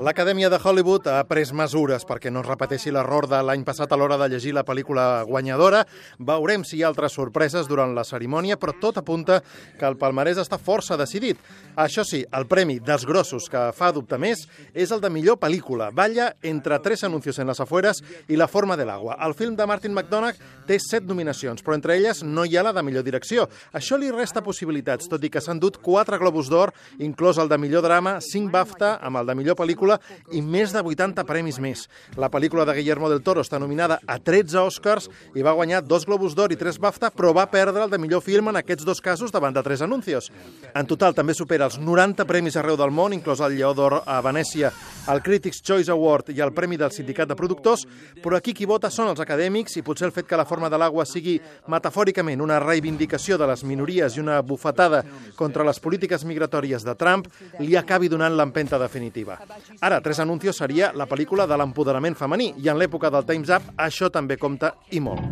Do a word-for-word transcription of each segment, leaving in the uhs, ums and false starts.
L'Acadèmia de Hollywood ha pres mesures perquè no es repeteixi l'error de l'any passat a l'hora de llegir la pel·lícula guanyadora. Veurem si hi ha altres sorpreses durant la cerimònia, però tot apunta que el palmarès està força decidit. Això sí, el premi dels grossos que fa dubte més és el de millor pel·lícula. Balla entre Tres anuncios en las afueras i La forma del agua. El film de Martin McDonagh té set nominacions, però entre elles no hi ha la de millor direcció. Això li resta possibilitats, tot i que s'han dut quatre Globus d'Or, inclòs el de millor drama, cinc BAFTA amb el de millor pel·lícula i més de vuitanta premis més. La pel·lícula de Guillermo del Toro està nominada a tretze Oscars i va guanyar dos Globus d'Or i tres BAFTA, però va perdre el de millor film en aquests dos casos davant de Tres anuncios. En total també supera els noranta premis arreu del món, inclòs el Lleó d'Or a Venècia, el Critics' Choice Award i el Premi del Sindicat de Productors, però aquí qui vota són els acadèmics i potser el fet que La forma de l'agua sigui metafòricament una reivindicació de les minories i una bufetada contra les polítiques migratòries de Trump li acabi donant l'empenta definitiva. Ara, Tres anuncios seria la pel·lícula de l'empoderament femení i en l'època del Time's Up això també compta i molt.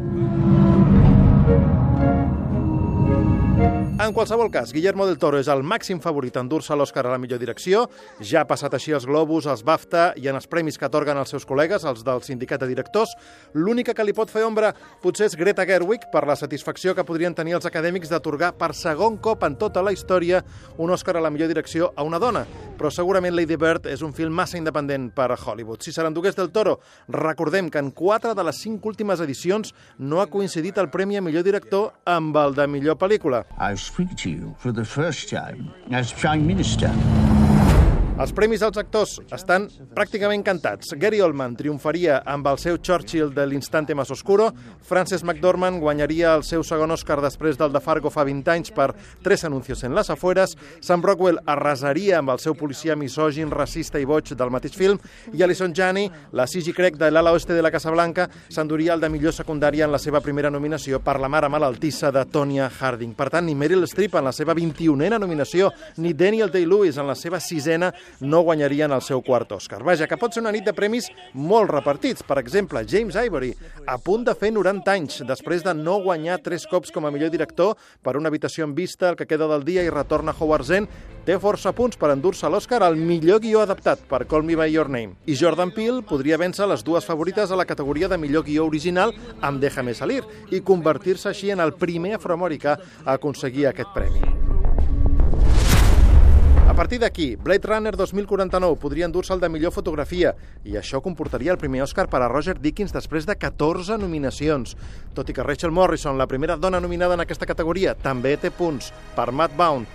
En qualsevol cas, Guillermo del Toro és el màxim favorit a endur-se l'Oscar a la millor direcció. Ja ha passat així els Globus, els BAFTA i en els premis que atorguen els seus col·legues, els del sindicat de directors. L'única que li pot fer ombra potser és Greta Gerwig per la satisfacció que podrien tenir els acadèmics d'atorgar per segon cop en tota la història un Oscar a la millor direcció a una dona. Però segurament Lady Bird és un film massa independent per a Hollywood. Si se l'endugués del Toro, recordem que en quatre de les cinc últimes edicions no ha coincidit el premi a millor director amb el de millor pel·lícula. I speak to you for the first time as Prime Minister. Els premis als actors estan pràcticament cantats. Gary Oldman triomfaria amb el seu Churchill de l'Instante más oscuro, Frances McDormand guanyaria el seu segon Oscar després del de Fargo fa vint anys per Tres anuncios en las afueras, Sam Rockwell arrasaria amb el seu policia misògin, racista i boig del mateix film, i Alison Janney, la Gigi Craig de l'ala oeste de la Casa Blanca, s'enduria el de millor secundària en la seva primera nominació per La mare malaltissa de Tonya Harding. Per tant, ni Meryl Streep en la seva vint-i-unena nominació, ni Daniel Day-Lewis en la seva sisena no guanyarien el seu quart Òscar. Vaja, que pot ser una nit de premis molt repartits. Per exemple, James Ivory, a punt de fer noranta anys, després de no guanyar tres cops com a millor director per Una habitació en vista, El que queda del dia i Retorna a Howard's End, té força punts per endur-se l'Òscar al millor guió adaptat per Call Me By Your Name. I Jordan Peele podria vèncer les dues favorites a la categoria de millor guió original amb Déjame salir i convertir-se així en el primer afroamericà a aconseguir aquest premi. A partir d'aquí, Blade Runner dos mil quaranta-nou podria endur-se el de millor fotografia i això comportaria el primer Òscar per a Roger Deakins després de catorze nominacions. Tot i que Rachel Morrison, la primera dona nominada en aquesta categoria, també té punts per Mad Bound.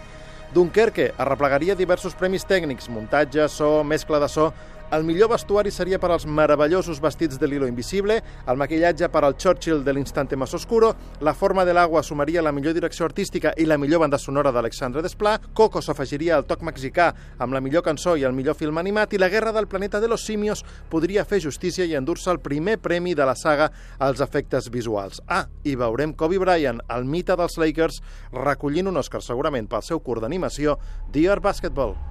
Dunkerque arreplegaria diversos premis tècnics, muntatge, so, mescla de so. El millor vestuari seria per als meravellosos vestits de l'Hilo Invisible, el maquillatge per al Churchill de l'Instante más oscuro, La forma de l'agua sumaria la millor direcció artística i la millor banda sonora d'Alexandre Desplat, Coco s'afegiria al toc mexicà amb la millor cançó i el millor film animat, i La guerra del planeta de los simios podria fer justícia i endur-se el primer premi de la saga als efectes visuals. Ah, i veurem Kobe Bryant, el mite dels Lakers, recollint un Òscar segurament pel seu curt d'animació, Dear Basketball.